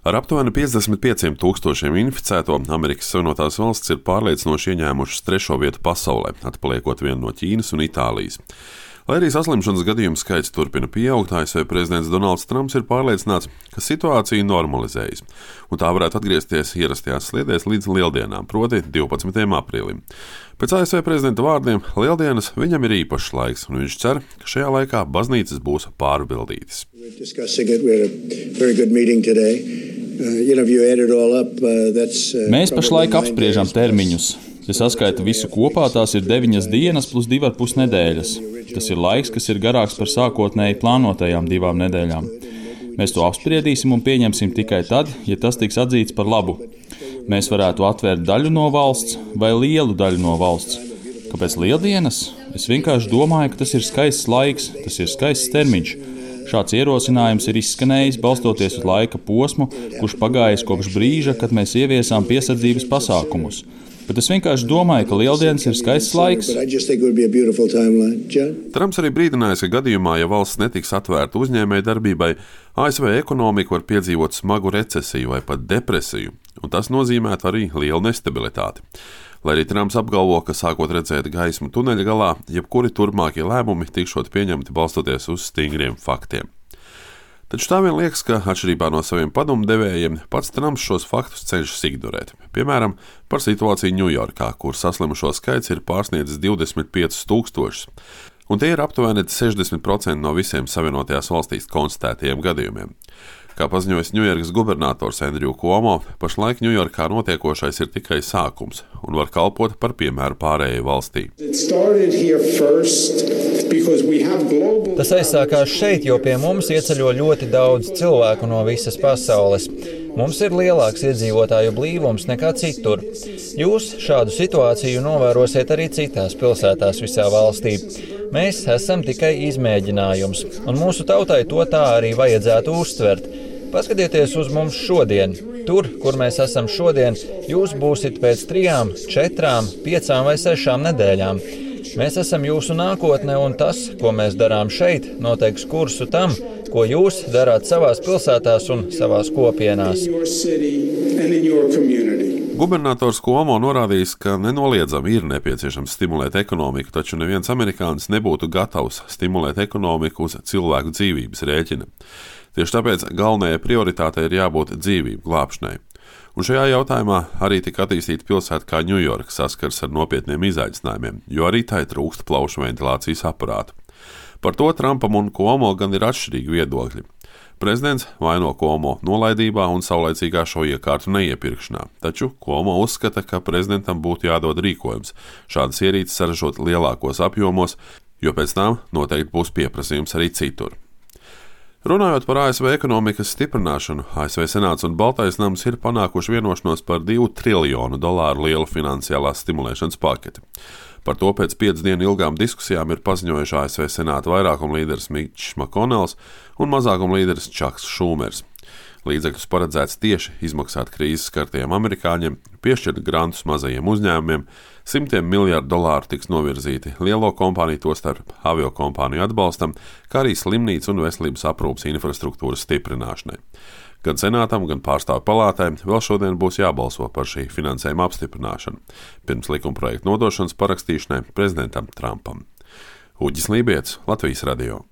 Ar aptuveni 55,000 inficēto Amerikas Savienotās valstis ir pārliecinoši ieņēmušas 3. vietu pasaulē, atpaliekot vien no Ķīnas un Itālijas. Lai arī saslimšanas gadījumu skaits turpina pieaugt, ASV prezidents Donalds Trumps ir pārliecināts, ka situācija normalizējas, un tā varētu atgriezties ierastajās sliedēs līdz Lieldienām, proti 12. aprīlim. Pēc ASV prezidenta vārdiem, Lieldienas viņam ir īpašs laiks, un viņš cer, ka šajā laikā baznīcas būs pārpildītas. Mēs pašlaik apspriežam termiņus. Ja saskaita visu kopā, tās ir 9 dienas plus 2,5 nedēļas. Tas ir laiks, kas ir garāks par sākotnēji plānotajām 2 nedēļām. Mēs to apspriedīsim un pieņemsim tikai tad, ja tas tiks atzīts par labu. Mēs varētu atvērt daļu no valsts vai lielu daļu no valsts. Kāpēc Lieldienas? Es vienkārši domāju, ka tas ir skaists laiks, tas ir skaists termiņš. Šāds ierosinājums ir izskanējis balstoties uz laika posmu, kurš pagājis kopš brīža, kad mēs ieviesām piesardzības pasākumus. Bet es vienkārši domāju, ka Lieldienas ir skaists laiks. Trumps arī brīdinājis, ka gadījumā, ja valsts netiks atvērta uzņēmēju darbībai, ASV ekonomika var piedzīvot smagu recesiju vai pat depresiju, un tas nozīmētu arī lielu nestabilitāti. Lai arī Trumps apgalvo, ka sākot redzēt gaismu tuneļa galā, jebkuri turpmākie lēmumi tikšot pieņemti balstoties uz stingriem faktiem. Taču tā vien liekas, ka, atšķirībā no saviem padomdevējiem, pats Trumps šos faktus cenšas ignorēt. Piemēram, par situāciju Ņujorkā, kur saslimušo skaits ir pārsniedzis 25,000, un tie ir aptuveni 60% no visiem Savienotajās valstīs konstatētajiem gadījumiem. Kā paziņojis Ņujorkas gubernators Andrew Cuomo, pašlaik Ņujorkā notiekošais ir tikai sākums un var kalpot par piemēru pārējai valstī. Tas aizsākās šeit, jo pie mums ieceļo ļoti daudz cilvēku no visas pasaules. Mums ir lielāks iedzīvotāju blīvums nekā citur. Jūs šādu situāciju novērosiet arī citās pilsētās visā valstī. Mēs esam tikai izmēģinājums, un mūsu tautai to tā arī vajadzētu uztvert. Paskatieties uz mums šodien. Tur, kur mēs esam šodien, jūs būsiet pēc 3, 4, 5 vai 6 nedēļām. Mēs esam jūsu nākotne, un tas, ko mēs darām šeit, noteiks kursu tam, ko jūs darāt savās pilsētās un savās kopienās. Gubernators Cuomo norādījis, ka nenoliedzami ir nepieciešams stimulēt ekonomiku, taču neviens amerikānis nebūtu gatavs stimulēt ekonomiku uz cilvēku dzīvības rēķina. Tieši tāpēc galvenajai prioritātei ir jābūt dzīvību glābšanai. Un šajā jautājumā arī tika attīstīta pilsēta kā Ņujorka saskars ar nopietniem izaicinājumiem, jo arī tai trūkst plaušu ventilācijas aparātu. Par to Trumpam un Cuomo gan ir atšķirīgi viedokļi. Prezidents vaino Cuomo nolaidībā un saulaicīgā šo iekārtu neiepirkšanā, taču Cuomo uzskata, ka prezidentam būtu jādod rīkojums šādas ierīces saražot lielākos apjomos, jo pēc tam noteikti būs pieprasījums arī citur. Runājot par ASV ekonomikas stiprināšanu, ASV Senāts un Baltais nams ir panākuši vienošanos par $2 triljonu lielu finansiālās stimulēšanas paketi. Par to pēc 5 dienu ilgām diskusijām ir paziņojuši ASV Senāta vairākuma līderis Mitčs Makonels un mazākuma līderis Čaks Šūmers. Līdzekļus paredzēts tieši izmaksāt krīzes skartajiem amerikāņiem, piešķirt grantus mazajiem uzņēmumiem, $100 miljardu tiks novirzīti lielo kompāniju, tostarp aviokompāniju atbalstam, kā arī slimnīcu un veselības aprūpes infrastruktūras stiprināšanai. Gan Senātam, gan Pārstāvju palātai vēl šodien būs jābalso par šī finansējuma apstiprināšanu, pirms likumprojekta nodošanas parakstīšanai prezidentam Trumpam. Uģis Lībietis, Latvijas radio.